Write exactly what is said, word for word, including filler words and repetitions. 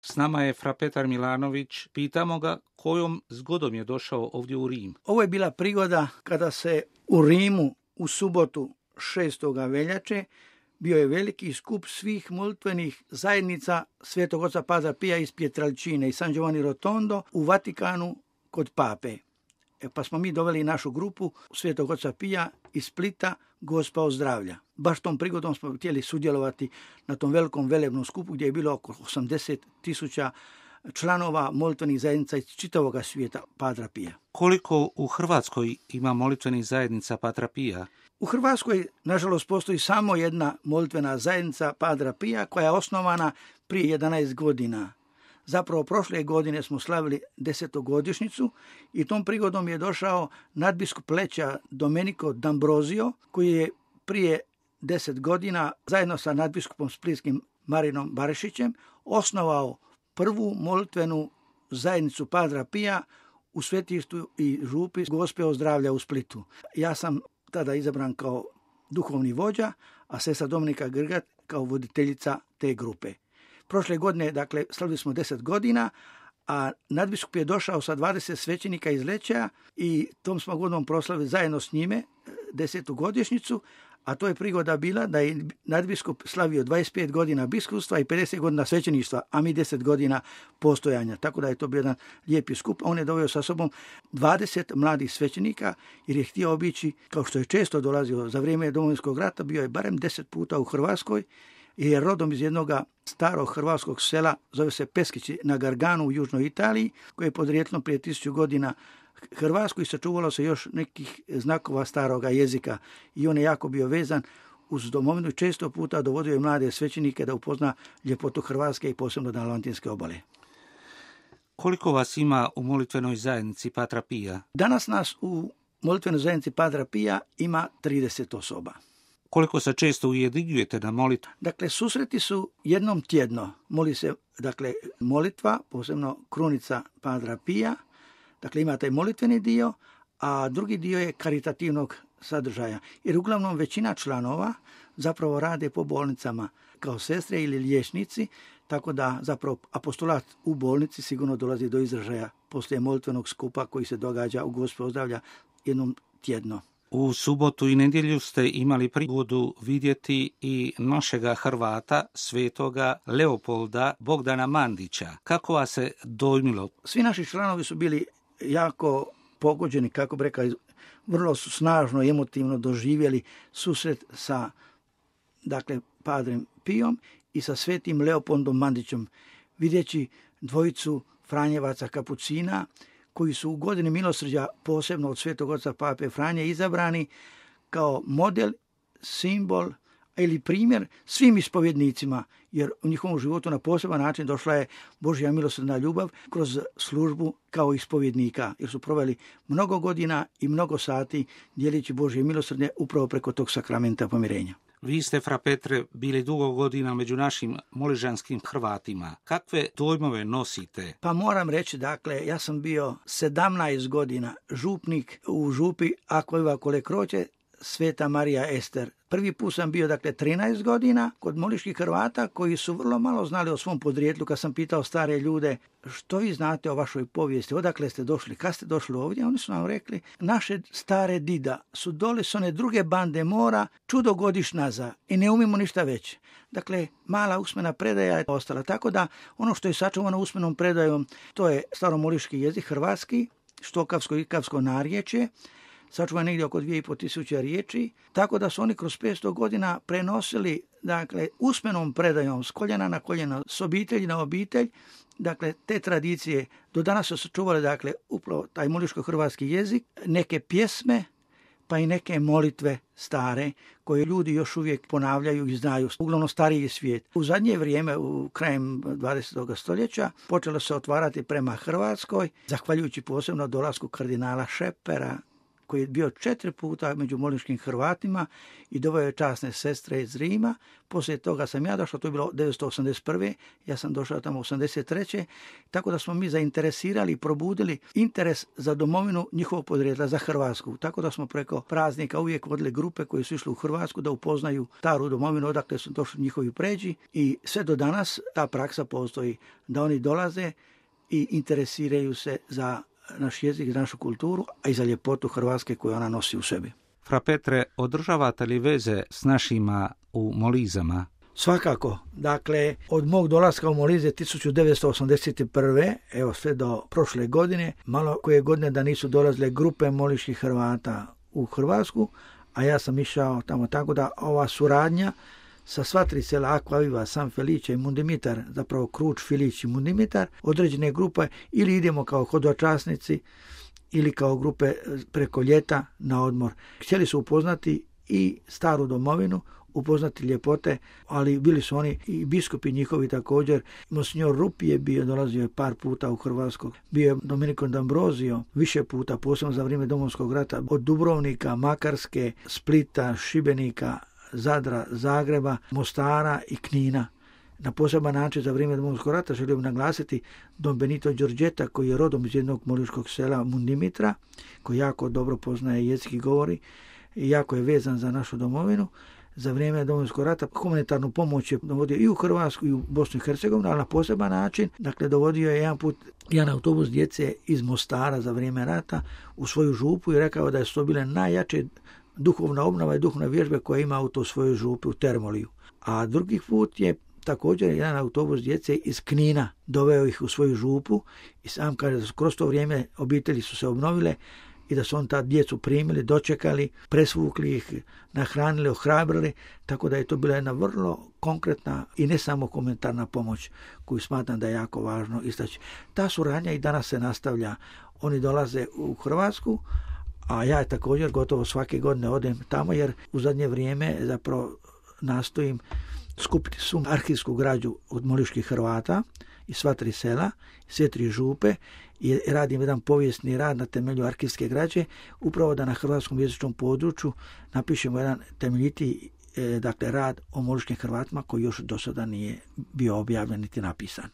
S nama je fra Petar Milanović. Pitamo ga kojom zgodom je došao ovdje u Rim. Ovo je bila prigoda kada se u Rimu u subotu šestoga veljače bio je veliki skup svih molitvenih zajednica Svetog oca Padra Pija iz Pietrelcine i San Giovanni Rotondo u Vatikanu kod pape. E, pa smo mi doveli našu grupu Svetog oca Pija iz Splita, Gospa ozdravlja. Baš tom prigodom smo htjeli sudjelovati na tom velikom velebnom skupu gdje je bilo oko osamdeset tisuća članova molitvenih zajednica iz čitavog svijeta Padra Pija. Koliko u Hrvatskoj ima molitvenih zajednica Padra Pija? U Hrvatskoj, nažalost, postoji samo jedna molitvena zajednica Padra Pija koja je osnovana prije jedanaest godina. Zapravo, prošle godine smo slavili desetogodišnjicu i tom prigodom je došao nadbiskup Leča Domenico D'Ambrosio, koji je prije deset godina zajedno sa nadbiskupom splitskim Marinom Barišićem osnovao prvu molitvenu zajednicu Padra Pija u svetištu i župi Gospe ozdravlja u Splitu. Ja sam tada izabran kao duhovni vođa, a sestra Dominika Grgat kao voditeljica te grupe. Prošle godine, dakle, slavili smo deset godina, a nadbiskup je došao sa dvadeset svećenika iz Leča i tom smo godinom proslavili zajedno s njime desetu godišnjicu, a to je prigoda bila da je nadbiskup slavio dvadeset pet godina biskupstva i pedeset godina svećeništva, a mi deset godina postojanja. Tako da je to bio jedan lijepi skup. On je doveo sa sobom dvadeset mladih svećenika jer je htio obići, kao što je često dolazio za vrijeme Domovinskog rata, bio je barem deset puta u Hrvatskoj i je rodom iz jednog starog hrvatskog sela, zove se Peskići na Garganu u južnoj Italiji, koje je podrijetlom prije tisuću godina Hrvatsku i sačuvalo se još nekih znakova staroga jezika i on je jako bio vezan uz domovinu i često puta dovodio je mlade svećenike da upozna ljepotu Hrvatske i posebno Dalmatinske obale. Koliko vas ima u molitvenoj zajednici Padra Pija? Danas nas u molitvenoj zajednici Padra Pija ima trideset osoba. Koliko se često ujedinjujete na molitvu? Dakle, susreti su jednom tjedno. Moli se, dakle, molitva, posebno krunica Padra Pija. Dakle, ima taj molitveni dio, a drugi dio je karitativnog sadržaja. Jer uglavnom većina članova zapravo rade po bolnicama kao sestre ili liječnici, tako da zapravo apostolat u bolnici sigurno dolazi do izražaja poslije molitvenog skupa koji se događa u Gospe ozdravlja jednom tjedno. U subotu i nedjelju ste imali prigodu vidjeti i našega Hrvata, svetoga Leopolda Bogdana Mandića. Kako vas se dojmilo? Svi naši članovi su bili jako pogođeni, kako bi rekao, vrlo su snažno i emotivno doživjeli susret sa, dakle, Padrem Pijom i sa svetim Leopoldom Mandićem, vidjeći dvojicu Franjevaca kapucina koji su u godini milosrđa posebno od svetog oca Pape Franje izabrani kao model, simbol ili primjer svim ispovjednicima, jer u njihovom životu na poseban način došla je Božja milosrdna ljubav kroz službu kao ispovjednika, jer su proveli mnogo godina i mnogo sati dijelići Božje milosrdne upravo preko tog sakramenta pomirenja. Vi ste, fra Petre, bili dugo godina među našim moližanskim Hrvatima. Kakve dojmove nosite? Pa moram reći, dakle, ja sam bio sedamnaest godina župnik u župi Akvojva Kole Kroće, Sveta Marija Ester. Prvi put sam bio, dakle, trinaest godina kod moliških Hrvata koji su vrlo malo znali o svom podrijetlu. Kad sam pitao stare ljude, što vi znate o vašoj povijesti, odakle ste došli, kad ste došli ovdje, oni su nam rekli, naše stare dida su dole s one druge bande mora čudo godiš nazad i ne umimo ništa već. Dakle, mala usmena predaja je ostala. Tako da ono što je sačuvano usmenom predajom, to je staromoliški jezik, hrvatski, štokavsko i ikavsko narječje, sačuva negdje oko dvije i pol tisuće riječi, tako da su oni kroz petsto godina prenosili, dakle, usmenom predajom s koljena na koljeno, s obitelji na obitelj, dakle, te tradicije do danas su sačuvali, dakle, upravo taj moliško-hrvatski jezik, neke pjesme, pa i neke molitve stare, koje ljudi još uvijek ponavljaju i znaju, uglavnom stariji svijet. U zadnje vrijeme, u krajem dvadesetog stoljeća, počelo se otvarati prema Hrvatskoj, zahvaljujući posebno dolasku kardinala Šepera, koji je bio četiri puta među moliškim Hrvatima i doveo je časne sestre iz Rima. Poslije toga sam ja došao, to je bilo devetsto osamdeset prve. Ja sam došao tamo osamdeset treće. Tako da smo mi zainteresirali i probudili interes za domovinu njihovog podrijetla, za Hrvatsku. Tako da smo preko praznika uvijek vodili grupe koji su išli u Hrvatsku da upoznaju staru domovinu odakle su došli njihovi pređi i sve do danas ta praksa postoji da oni dolaze i interesiraju se za naš jezik, za našu kulturu, a i za ljepotu Hrvatske koju ona nosi u sebi. Fra Petre, održavate li veze s našima u Molizama? Svakako. Dakle, od mog dolaska u Molize tisuću devetsto osamdeset prve. evo sve do prošle godine, malo koje godine da nisu dolazile grupe moliških Hrvata u Hrvatsku, a ja sam išao tamo, tako da ova suradnja sa sva tri sela Akvaviva, San Felice i Mundimitar, zapravo Kruč, Filić i Mundimitar, određene grupe ili idemo kao hodočasnici ili kao grupe preko ljeta na odmor. Htjeli su upoznati i staru domovinu, upoznati ljepote, ali bili su oni i biskupi njihovi također. Monsignor Rupi je bio, dolazio je par puta u Hrvatsku. Bio je Domenico D'Ambrosio više puta, posebno za vrijeme Domovinskog rata, od Dubrovnika, Makarske, Splita, Šibenika, Zadra, Zagreba, Mostara i Knina. Na poseban način za vrijeme Domovinskog rata želim naglasiti Don Benito Đorđeta, koji je rodom iz jednog moliškog sela Mundimitra, koji jako dobro poznaje jezik i govori i jako je vezan za našu domovinu. Za vrijeme Domovinskog rata humanitarnu pomoć je dovodio i u Hrvatsku i u Bosnu i Hercegovinu, ali na poseban način. Dakle, dovodio je jedan put jedan autobus djece iz Mostara za vrijeme rata u svoju župu i rekao da je to bile najjače duhovna obnova i duhovne vježbe koje ima u to svojoj župi u Termoliju. A drugi put je također jedan autobus djece iz Knina doveo ih u svoju župu i sam kaže da kroz to vrijeme obitelji su se obnovile i da su on ta djecu primili, dočekali, presvukli ih, nahranili, ohrabrili, tako da je to bila jedna vrlo konkretna i ne samo komentarna pomoć koju smatram da je jako važno istaći. Ta suradnja i danas se nastavlja. Oni dolaze u Hrvatsku, a ja također gotovo svake godine odem tamo jer u zadnje vrijeme zapravo nastojim skupiti svu arhivsku građu od moliških Hrvata i sva tri sela, sve tri župe i radim jedan povijesni rad na temelju arhivske građe, upravo da na hrvatskom jezičnom području napišemo jedan temeljiti e, dakle, rad o moliškim Hrvatima koji još do sada nije bio objavljen niti napisan.